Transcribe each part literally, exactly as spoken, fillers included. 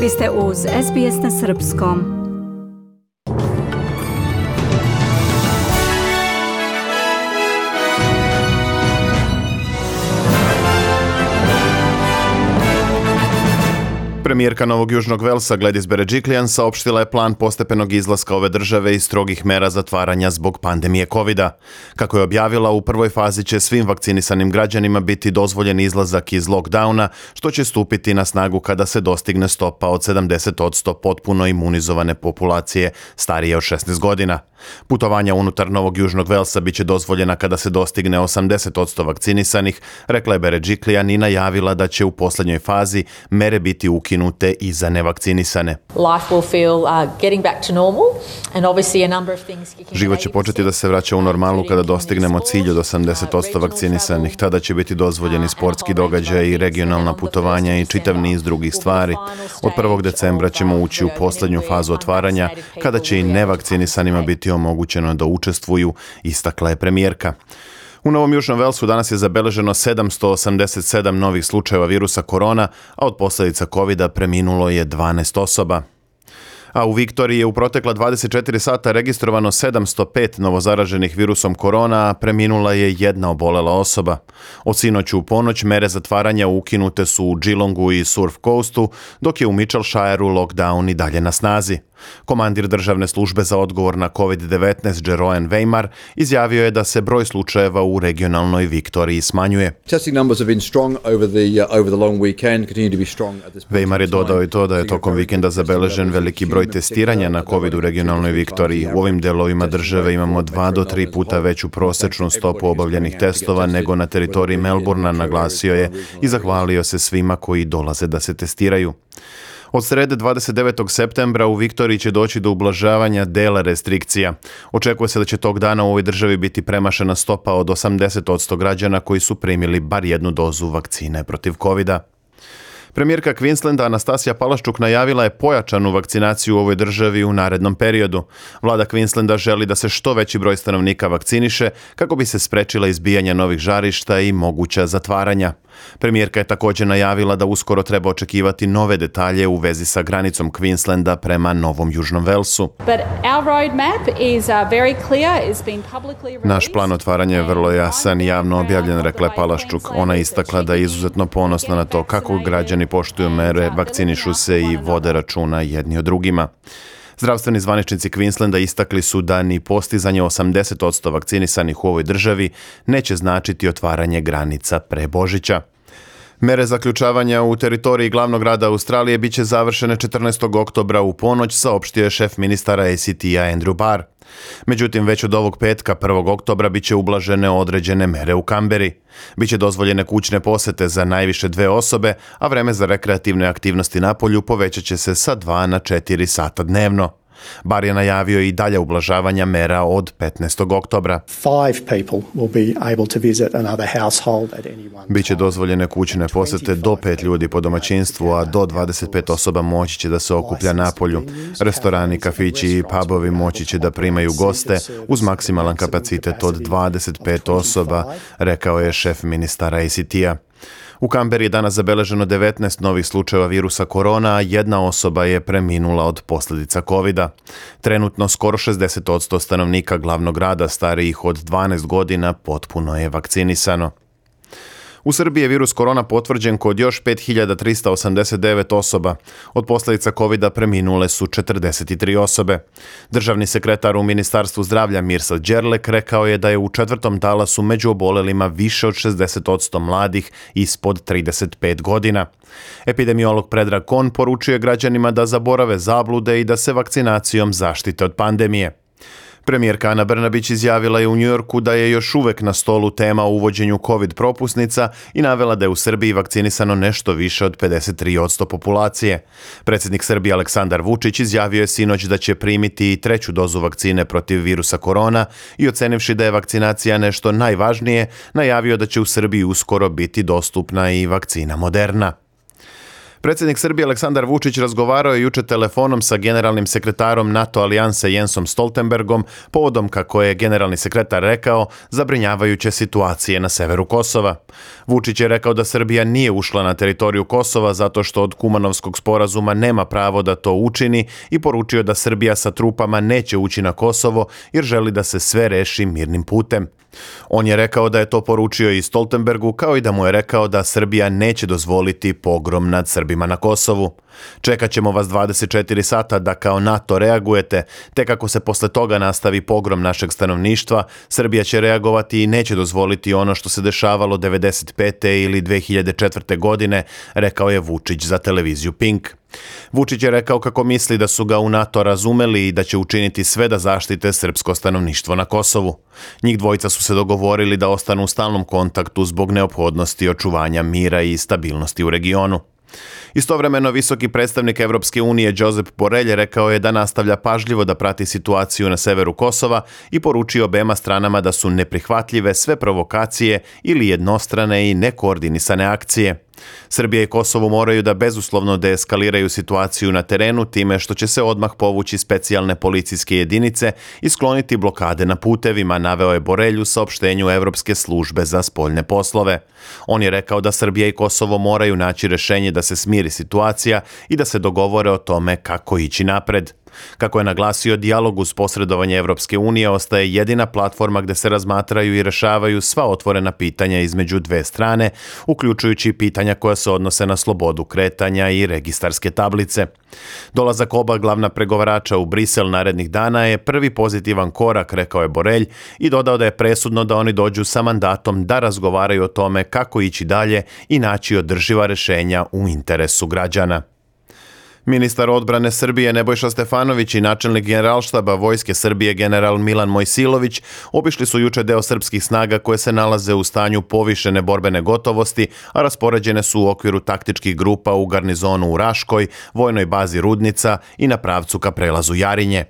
Vi ste uz S B S na srpskom. Premijerka Novog Južnog Velsa Gladys Berejiklian saopštila je plan postepenog izlaska ove države iz strogih mera zatvaranja zbog pandemije kovida. Kako je objavila, u prvoj fazi će svim vakcinisanim građanima biti dozvoljen izlazak iz lockdowna, što će stupiti na snagu kada se dostigne stopa od sedamdeset posto potpuno imunizovane populacije starije od šesnaest godina. Putovanja unutar Novog Južnog Velsa bit će dozvoljena kada se dostigne osamdeset posto vakcinisanih, rekla je Berejiklian i najavila da će u posljednjoj fazi mere biti ukinute i za nevakcinisane. Život će početi da se vraća u normalu kada dostignemo cilj od osamdeset posto vakcinisanih. Tada će biti dozvoljeni sportski događaj i regionalna putovanja i čitav niz drugih stvari. Od prvog decembra ćemo ući u posljednju fazu otvaranja, kada će i nevakcinisanima biti omogućeno da učestvuju, istakla je premijerka. U Novom Južnom Velsu danas je zabeleženo sedamsto osamdeset sedam novih slučajeva virusa korona, a od posljedica kovida preminulo je dvanaest osoba. A u Viktoriji je u protekla dvadeset četiri sata registrovano sedamsto pet novozaraženih virusom korona, a preminula je jedna obolela osoba. Od sinoć u ponoć mere zatvaranja ukinute su u Geelongu i Surf Coastu, dok je u Mitchellshireu lockdown i dalje na snazi. Komandir državne službe za odgovor na covid devetnaest Jeroen Weimar izjavio je da se broj slučajeva u regionalnoj Viktoriji smanjuje. Weimar je dodao i to da je tokom vikenda zabeležen veliki broj testiranja na covid u regionalnoj Viktoriji. U ovim delovima države imamo dva do tri puta veću prosječnu stopu obavljenih testova nego na teritoriji Melbourna, naglasio je i zahvalio se svima koji dolaze da se testiraju. Od srede dvadeset devetog septembra u Viktoriji će doći do ublažavanja dela restrikcija. Očekuje se da će tog dana u ovoj državi biti premašena stopa od osamdeset posto građana koji su primili bar jednu dozu vakcine protiv kovida. Premijerka Queenslanda Anastasija Palaszczuk najavila je pojačanu vakcinaciju u ovoj državi u narednom periodu. Vlada Queenslanda želi da se što veći broj stanovnika vakciniše kako bi se sprečila izbijanje novih žarišta i moguća zatvaranja. Premijerka je također najavila da uskoro treba očekivati nove detalje u vezi sa granicom Queenslanda prema Novom Južnom Velsu. Naš plan otvaranja je vrlo jasan i javno objavljen, rekla je Palaszczuk. Ona je istakla da je izuzetno ponosna na to kako građani poštuju mere, vakcinišu se i vode računa jedni o drugima. Zdravstveni zvaničnici Queenslanda istakli su da ni postizanje osamdeset posto vakcinisanih u ovoj državi neće značiti otvaranje granica pre Božića. Mere zaključavanja u teritoriji glavnog grada Australije bit će završene četrnaestog oktobra u ponoć, saopštio je šef ministara A C T-a Andrew Barr. Međutim, već od ovog petka, prvog oktobra, bit će ublažene određene mere u Kamberi. Biće dozvoljene kućne posete za najviše dve osobe, a vreme za rekreativne aktivnosti napolju povećat će se sa dva na četiri sata dnevno. Bar je najavio i dalje ublažavanja mera od petnaestog oktobra. Biće dozvoljene kućne posete do pet ljudi po domaćinstvu, a do dvadeset pet osoba moći će da se okuplja napolju. Restorani, kafići i pubovi moći će da primaju goste uz maksimalan kapacitet od dvadeset pet osoba, rekao je šef ministara A C T-a. U Kamberi je danas zabeleženo devetnaest novih slučajeva virusa korona, a jedna osoba je preminula od posljedica kovida. Trenutno skoro šezdeset posto stanovnika glavnog grada starijih od dvanaest godina potpuno je vakcinisano. U Srbiji je virus korona potvrđen kod još pet hiljada trista osamdeset devet osoba. Od posljedica kovida preminule su četrdeset tri osobe. Državni sekretar u Ministarstvu zdravlja Mirsad Đerlek rekao je da je u četvrtom talasu među obolelima više od šezdeset posto mladih ispod trideset pet godina. Epidemiolog Predrag Kon poručuje građanima da zaborave zablude i da se vakcinacijom zaštite od pandemije. Premijerka Ana Brnabić izjavila je u Njujorku da je još uvek na stolu tema o uvođenju covid propusnica i navela da je u Srbiji vakcinisano nešto više od pedeset tri posto populacije. Predsjednik Srbije Aleksandar Vučić izjavio je sinoć da će primiti i treću dozu vakcine protiv virusa korona i ocenivši da je vakcinacija nešto najvažnije, najavio da će u Srbiji uskoro biti dostupna i vakcina Moderna. Predsjednik Srbije Aleksandar Vučić razgovarao je juče telefonom sa generalnim sekretarom NATO alijanse Jensom Stoltenbergom povodom, kako je generalni sekretar rekao, zabrinjavajuće situacije na severu Kosova. Vučić je rekao da Srbija nije ušla na teritoriju Kosova zato što od Kumanovskog sporazuma nema pravo da to učini i poručio da Srbija sa trupama neće ući na Kosovo jer želi da se sve reši mirnim putem. On je rekao da je to poručio i Stoltenbergu, kao i da mu je rekao da Srbija neće dozvoliti pogrom nad Srbima na Kosovu. Čekat ćemo vas dvadeset četiri sata da kao NATO reagujete, te kako se posle toga nastavi pogrom našeg stanovništva, Srbija će reagovati i neće dozvoliti ono što se dešavalo devedeset pete ili dve hiljade četvrte. godine, rekao je Vučić za televiziju Pink. Vučić je rekao kako misli da su ga u NATO razumeli i da će učiniti sve da zaštite srpsko stanovništvo na Kosovu. Njih dvojica su se dogovorili da ostanu u stalnom kontaktu zbog neophodnosti očuvanja mira i stabilnosti u regionu. Istovremeno, visoki predstavnik Evropske unije Josep Borrell rekao je da nastavlja pažljivo da prati situaciju na severu Kosova i poručio obema stranama da su neprihvatljive sve provokacije ili jednostrane i nekoordinisane akcije. Srbija i Kosovo moraju da bezuslovno deeskaliraju situaciju na terenu time što će se odmah povući specijalne policijske jedinice i skloniti blokade na putevima, naveo je Borrell u saopštenju Evropske službe za spoljne poslove. On je rekao da Srbija i Kosovo moraju naći rešenje da se smiri situacija i da se dogovore o tome kako ići napred. Kako je naglasio, dijalog uz posredovanje Evropske unije ostaje jedina platforma gde se razmatraju i rešavaju sva otvorena pitanja između dve strane, uključujući pitanja koja se odnose na slobodu kretanja i registarske tablice. Dolazak oba glavna pregovarača u Brisel narednih dana je prvi pozitivan korak, rekao je Borrell, i dodao da je presudno da oni dođu sa mandatom da razgovaraju o tome kako ići dalje i naći održiva rešenja u interesu građana. Ministar odbrane Srbije Nebojša Stefanović i načelnik Generalštaba Vojske Srbije general Milan Mojsilović obišli su juče deo srpskih snaga koje se nalaze u stanju povišene borbene gotovosti, a raspoređene su u okviru taktičkih grupa u garnizonu u Raškoj, vojnoj bazi Rudnica i na pravcu ka prelazu Jarinje.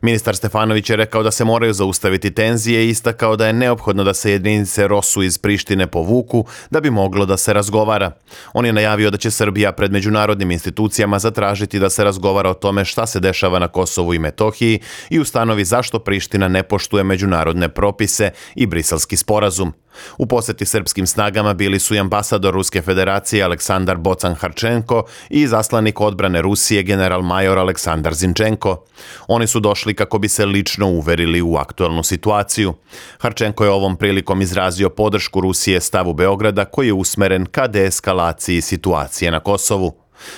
Ministar Stefanović je rekao da se moraju zaustaviti tenzije i istakao da je neophodno da se jedinice Rosu iz Prištine povuku da bi moglo da se razgovara. On je najavio da će Srbija pred međunarodnim institucijama zatražiti da se razgovara o tome šta se dešava na Kosovu i Metohiji i ustanovi zašto Priština ne poštuje međunarodne propise i Briselski sporazum. U poseti srpskim snagama bili su i ambasador Ruske federacije Aleksandar Bocan-Harčenko i zaslanik odbrane Rusije general major Aleksandar Zinčenko. Oni su došli kako bi se lično uverili u aktualnu situaciju. Harčenko je ovom prilikom izrazio podršku Rusije stavu Beograda koji je usmeren ka deeskalaciji situacije na Kosovu.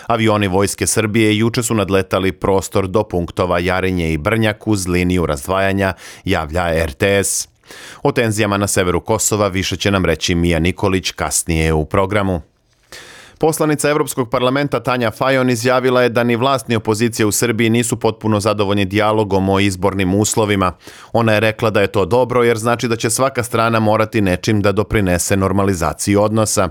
Avioni Vojske Srbije juče su nadletali prostor do punktova Jarinje i Brnjak uz liniju razdvajanja, javlja er te es. O tenzijama na severu Kosova više će nam reći Mija Nikolić kasnije u programu. Poslanica Evropskog parlamenta Tanja Fajon izjavila je da ni vlast ni opozicija u Srbiji nisu potpuno zadovoljni dijalogom o izbornim uslovima. Ona je rekla da je to dobro jer znači da će svaka strana morati nečim da doprinese normalizaciji odnosa.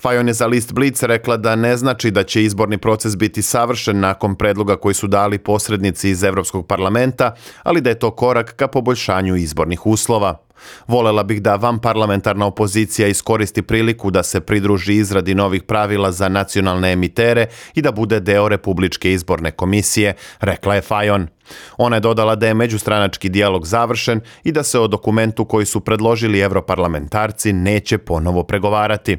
Fajon je za list Blic rekla da ne znači da će izborni proces biti savršen nakon predloga koji su dali posrednici iz Evropskog parlamenta, ali da je to korak ka poboljšanju izbornih uslova. Volela bih da vanparlamentarna opozicija iskoristi priliku da se pridruži izradi novih pravila za nacionalne emitere i da bude deo Republičke izborne komisije, rekla je Fajon. Ona je dodala da je međustranački dijalog završen i da se o dokumentu koji su predložili evroparlamentarci neće ponovo pregovarati.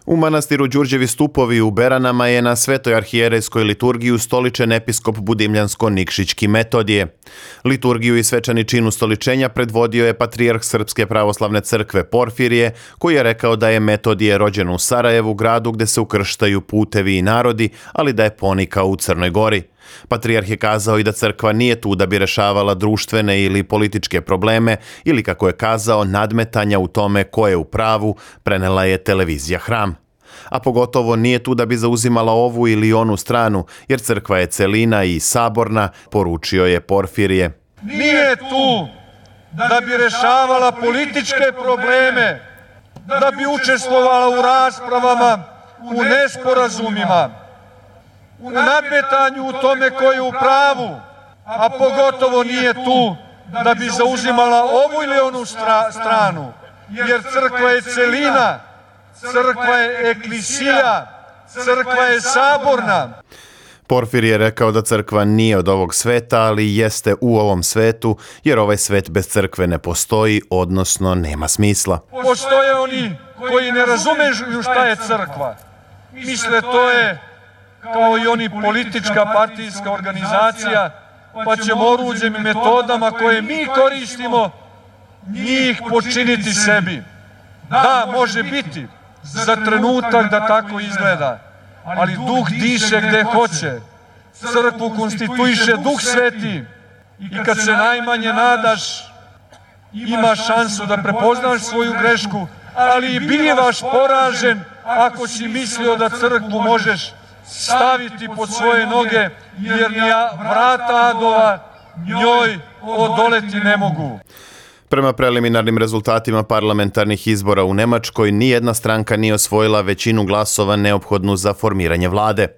U manastiru Đurđevi stupovi u Beranama je na Svetoj arhijerejskoj liturgiji ustoličen episkop Budimljansko-Nikšićki Metodije. Liturgiju i svečani čin ustoličenja predvodio je patrijarh Srpske pravoslavne crkve Porfirije, koji je rekao da je Metodije rođen u Sarajevu, gradu gde se ukrštaju putevi i narodi, ali da je ponikao u Crnoj Gori. Patrijarh je kazao i da crkva nije tu da bi rešavala društvene ili političke probleme ili, kako je kazao, nadmetanja u tome ko je u pravu, prenela je televizija Hram. A pogotovo nije tu da bi zauzimala ovu ili onu stranu, jer crkva je celina i saborna, poručio je Porfirije. Nije tu da bi rešavala političke probleme, da bi učestvovala u raspravama, u nesporazumima, u nadmetanju u tome ko je u pravu, a pogotovo nije tu da bi zauzimala ovu ili onu stra, stranu, jer crkva je celina, crkva je eklisija, Crkva je saborna. Porfir je rekao da crkva nije od ovog sveta, ali jeste u ovom svetu, jer ovaj svet bez crkve ne postoji, odnosno nema smisla. Postoje oni koji ne razumeju šta je crkva. Misle to je kao i oni politička partijska organizacija, pa ćemo oruđem i metodama koje mi koristimo njih počiniti sebi. Da, može biti za trenutak da tako izgleda, ali duh diše gde hoće. Crkvu konstituiše Duh Sveti i kad se najmanje nadaš, imaš šansu da prepoznaš svoju grešku, ali i bivaš poražen ako si mislio da crkvu možeš staviti pod svoje noge, jer ni vrata adova njoj odoleti ne mogu. Prema preliminarnim rezultatima parlamentarnih izbora u Nemačkoj, nijedna stranka nije osvojila većinu glasova neophodnu za formiranje vlade.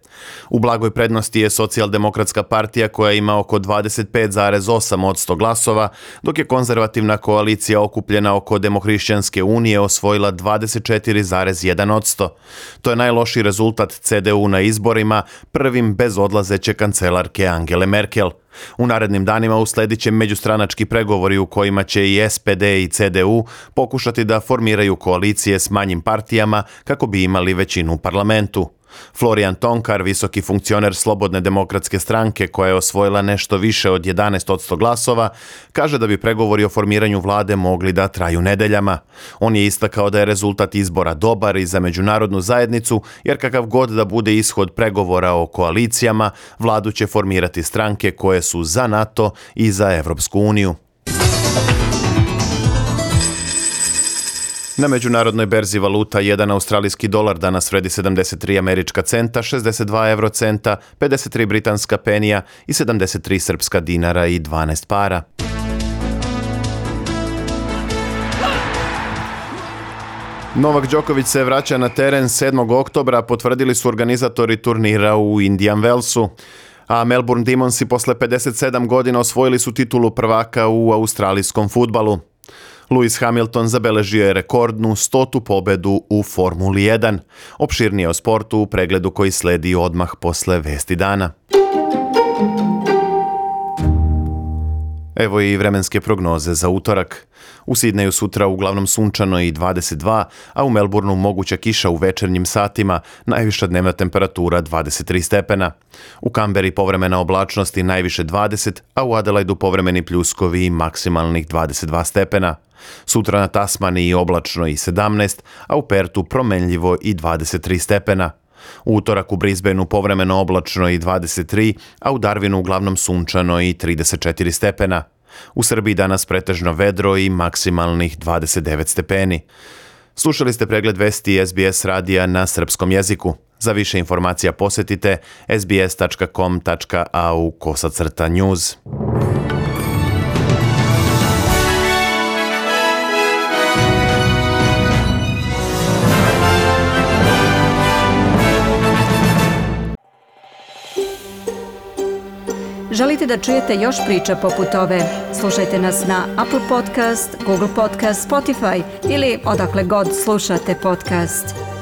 U blagoj prednosti je Socijaldemokratska partija koja ima oko dvadeset pet zarez osam posto glasova, dok je konzervativna koalicija okupljena oko Demohrišćanske unije osvojila dvadeset četiri zarez jedan posto. To je najlošiji rezultat C D U na izborima, prvim bez odlazeće kancelarke Angele Merkel. U narednim danima usledit će međustranački pregovori u kojima će i S P D i C D U pokušati da formiraju koalicije s manjim partijama kako bi imali većinu u parlamentu. Florian Tonkar, visoki funkcioner Slobodne demokratske stranke koja je osvojila nešto više od jedanaest posto glasova, kaže da bi pregovori o formiranju vlade mogli da traju nedeljama. On je istakao da je rezultat izbora dobar i za međunarodnu zajednicu, jer kakav god da bude ishod pregovora o koalicijama, vladu će formirati stranke koje su za NATO i za Evropsku uniju. Na međunarodnoj berzi valuta jedan australijski dolar danas vredi sedamdeset tri američka centa, šezdeset dva evrocenta, pedeset tri britanska penija i sedamdeset tri srpska dinara i dvanaest para. Novak Đoković se vraća na teren sedmog oktobra, potvrdili su organizatori turnira u Indian Wellsu. A Melbourne Demonsi posle pedeset sedam godina osvojili su titulu prvaka u australijskom fudbalu. Lewis Hamilton zabeležio je rekordnu stotu pobedu u Formuli jedan. Opširnije o sportu u pregledu koji sledi odmah posle vesti dana. Evo i vremenske prognoze za utorak. U Sidneju sutra uglavnom sunčano i dvadeset dva, a u Melbourneu moguća kiša u večernjim satima, najviša dnevna temperatura dvadeset tri stepena. U Kamberi povremena oblačnost i najviše dvadeset, a u Adelaidu povremeni pljuskovi i maksimalnih dvadeset dva stepena. Sutra na Tasmaniji oblačno i sedamnaest, a u Pertu promenljivo i dvadeset tri stepena. U utorak u Brisbaneu povremeno oblačno i dvadeset tri, a u Darwinu uglavnom sunčano i trideset četiri stepena. U Srbiji danas pretežno vedro i maksimalnih dvadeset devet stepeni. Slušali ste pregled vesti S B S radija na srpskom jeziku. Za više informacija posetite s b s tačka com tačka a u kosacrta news. Želite da čujete još priča poput ove? Slušajte nas na Apple Podcast, Google Podcast, Spotify ili odakle god slušate podcast.